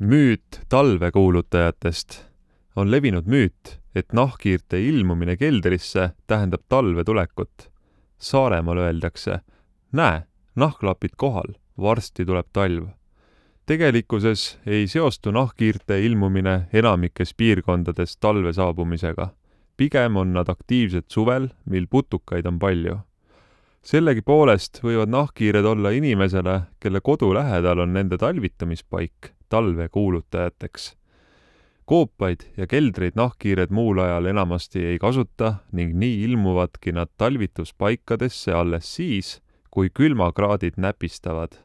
Müüt talvekuulutajatest on levinud müüt, et nahkhiirte ilmumine keldrisse tähendab talve tulekut. Saaremaal öeldakse, näe, nahklapid kohal, varsti tuleb talv. Tegelikkuses ei seostu nahkhiirte ilmumine enamikes piirkondades talve saabumisega. Pigem on nad aktiivsed suvel, mil putukaid on palju. Sellegi poolest võivad nahkhiired olla inimesele, kelle kodu lähedal on nende talvitamispaik, talvekuulutajateks. Koopaid ja keldreid nahkhiired muul ajal enamasti ei kasuta ning nii ilmuvadki nad talvituspaikadesse alles siis, kui külmakraadid näpistavad.